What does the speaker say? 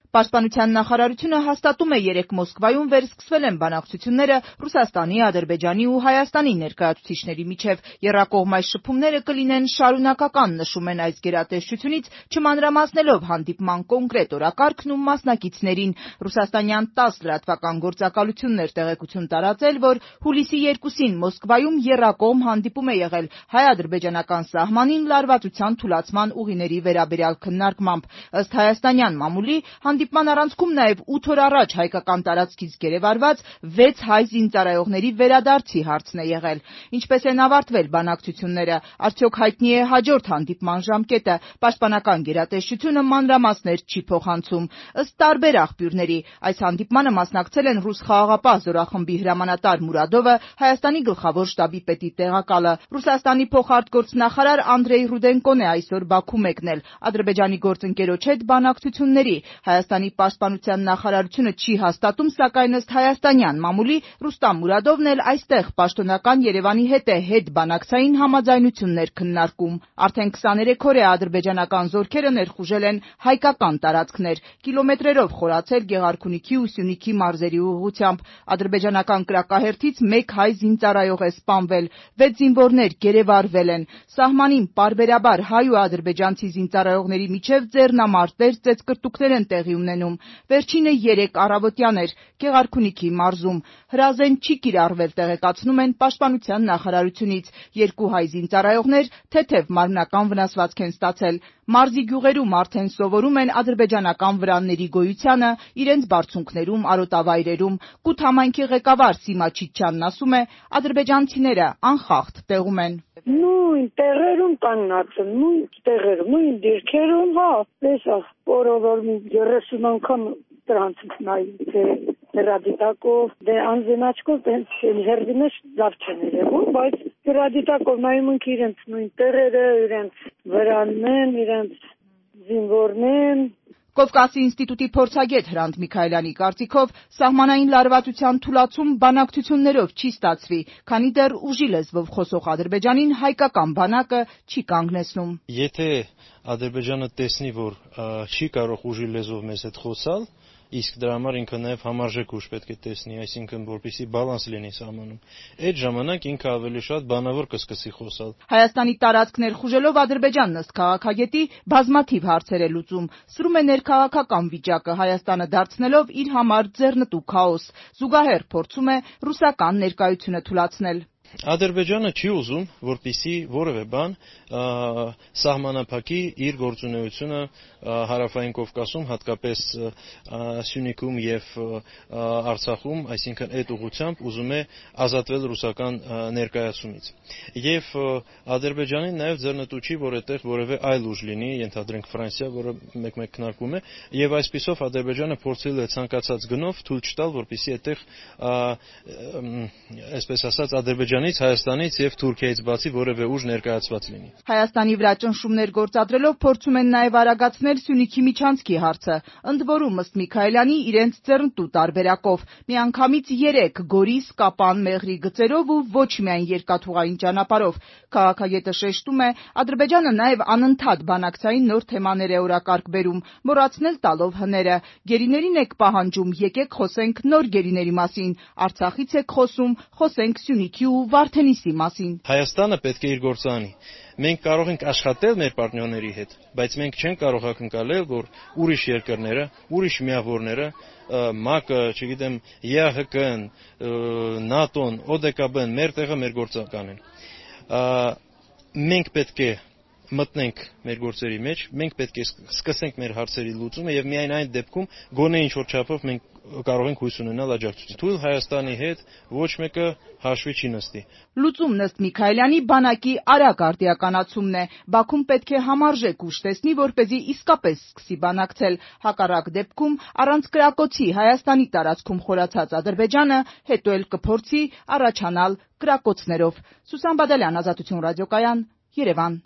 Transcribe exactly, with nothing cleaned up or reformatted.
Պաշտպանության նախարարությունը հաստատում է երեկ Մոսկվայում վերսկսվել են բանակցությունները Ռուսաստանի, Ադրբեջանի ու Հայաստանի ներկայացուցիչների միջև։ Եռակողմ այս շփումները կլինեն շարունակական, նշում են այս գերատեսչությունից, չմանրամասնելով հանդիպման կոնկրետ օրակարգն ու մասնակիցներին։ Ռուսաստանյան տաս լրատվական գործակալությունն էր տեղեկություն տարածել, որ հուլիսի երկուսին Մոսկվայում եռակողմ հանդիպում է եղել հայ-ադրբեջանական սահմանին լարվածության թուլացման ուղիների վերաբերյալ քննարկմամբ։ Ըստ հայաստանյան մամուլի, հանդիպման առանցքում նաև ութ օր առաջ հայկական տարածքից գերեվարված վեց հայ զինծառայողների վերադարձի հարցն է եղել։ Ինչպես են ավարտվել բանակցությունները, արդյոք հայտնի է հաջորդ հանդիպման ժամկետը, պաշտպանական գերատեսչությունը մանրամասներ չի փոխանցում։ Ըստ տարբեր աղբյուրների, այս հանդիպմանը մասնակցել են ռուս խաղաղապահ զորախմբի հրամանատար Մուրադովը, Հայաստանի գլխավոր շտաբի պետի տեղակալը։ Ռուսաստանի փոխարտգործնախարար Անդրեյ Ռուդենկոն է այսօր Բաքու մեկնել Ադրբեջանի գործընկերոջ հետ բանակցությունների։ Հայաստանի պաշտպանության նախարարությունը չի հաստատում, սակայն ըստ հայաստանյան մամուլի Ռուստամ Մուրադովն էլ այստեղ պաշտոնական Երևանի հետ է հետբանակցային համաձայնություններ քննարկում։ Արդեն քսաներեք օր է ադրբեջանական զորքերը ներխուժել են հայկական տարածքներ, կիլոմետրերով խորացել Գեղարքունիքի ու Սյունիքի մարզերի ուղղությամբ։ Ադրբեջանական կրակահերթից մեկ հայ զինծառայող է սպանվել, վեց զինվորներ գերեվարվել են։ Սահմանին պարբերաբար հայ ու ադրբեջանցի զինծառայողների միջև ձեռնամարտեր, ծեծկռտուքներ են տեղի ունենում։ Վերջինը երեկ առավոտյան էր Գեղարքունիքի մարզում։ Հրազեն չի կիրառվել, տեղեկացնում են պաշտպանության նախարարությունից։ Երկու հայ զինծառայողներ թեթև մարմնական վնասվածք են ստացել։ Մարզի գյուղերում արդեն սովորում են ադրբեջանական վրանների գոյությանը իրենց բարձունքներում, արոտավայրերում։ Կութ համայնքի ղեկավար Սիմա Չիչյանն ասում է, ադրբեջանցիները անխախտ տեղում են։ Նույն տեղերում կանգնած են, նույն տեղերում, նույն դիրքերում, հա, տեսա, որով երեսուն անգամ դրանց նայում, թե հրադիտակով, դե անձնաչքով, տենց հերդիմեջ լավ չեն երևում, բայց հրադիտակով նայում ենք իրենց նույն տեղերը, իրենց վրանն, իրենց զինվորներն։ Կովկասի ինստիտուտի փորձագետ Հրանտ Միքայելյանի կարծիքով սահմանային լարվածության թուլացում բանակցություններով չի ստացվի, քանի դեռ ուժի լեզվով խոսող Ադրբեջանին հայկական բանակը չի կանգնեցնում։ Եթե Ադրբեջանը տեսնի, որ չի կարող ուժի լեզվով մեզ հետ խոսալ, իսկ դրա համար ինքը նաև համարժեք ուժ պետք է տեսնի, այսինքն որպեսզի բալանս լինի սահմանում, այդ ժամանակ ինքը ավելի շատ բանավոր կսկսի խոսալ։ Հայաստանի տարածք ներխուժելով Ադրբեջանն ըստ քաղաքագետի բազմաթիվ հարցեր է լուծում, սրում է ներքաղաքական վիճակը, Հայաստանը դարձնելով իր համար ձեռնտու քաոս, զուգահեռ փորձում է ռուսական ներկայությունը թուլացնել։ Ադրբեջանը չի ուզում, որպեսզի որևէ բան սահմանափակի իր գործունեությունը հարավային Կովկասում, հատկապես Սյունիքում եւ Արցախում, այսինքն այդ ուղղությամբ ուզում է ազատվել ռուսական ներկայացումից։ Եվ Ադրբեջանին նաեւ ձեռնտու չի, որ այդտեղ որևէ այլ ուժ լինի, ենթադրենք Ֆրանսիա, որը մեկ-մեկ քննարկվում է, եւ այսպիսով Ադրբեջանը փորձել է ցանկացած գնով թույլ չտալ, որպեսզի այդտեղ այսպես ասած Ադրբեջանից, Հայաստանից եւ Թուրքիայից բացի որևէ ուժ ներկայացված լինի։ Հայաստանի վրա ճնշումներ գործադրելով փորձում են նաեւ արագացնել Սյունիքի միջանցքի հարցը, ընդ որում ըստ Միքայելյանի իրենց ձեռնտու տարբերակով, միանգամից երեք Գորիս, Կապան, Մեղրի գծերով ու ոչ միայն երկաթուղային ճանապարհով։ Քաղաքագետը շեշտում է, Ադրբեջանը նաեւ անընդհատ բանակցային նոր թեմաներ է օրակարգ բերում, մոռացնել տալով հները։ Գերիներին եք պահանջում, եկեք խոսենք նոր գերիների մասին, Արցախից եք խոսում, խոսենք Սյունիքի ու Վարդենիսի մասին։ Հայաստանը պետք է իր գործը անի։ Մենք կարող ենք աշխատել մեր պարտներների հետ, բայց մենք չենք կարող ակնկալել, որ ուրիշ երկրները, ուրիշ միավորները, ՄԱԿ-ը, չգիտեմ, ԵԱՀԿ-ն, ՆԱՏՕ-ն, օ դե կա բեն մեր տեղը մեր գործը կանեն։ Մենք պետք է մտնենք մեր գործերի մեջ, մենք պետք է սկսենք մեր հարցերի լուծումը եւ միայն այն դեպքում գոնե ինչ որ չափով մենք կարող ենք հույս ունենալ աջակցություն։ Թույլ Հայաստանի հետ ոչ մեկը հաշվի չի նստի։ Լուծումն ըստ Միքայելյանի բանակի արագ արդիականացումն է։ Բաքուն պետք է համարժեք ուժ տեսնի, որպեսզի իսկապես սկսի բանակցել։ Հակառակ դեպքում առանց կրակոցի Հայաստանի տարածքում խորացած Ադրբեջանը հետո էլ կփորձի առաջանալ կրակոցներով։ Սուսան Բադալյան, Ազատություն ռադիոկայան, Երևան։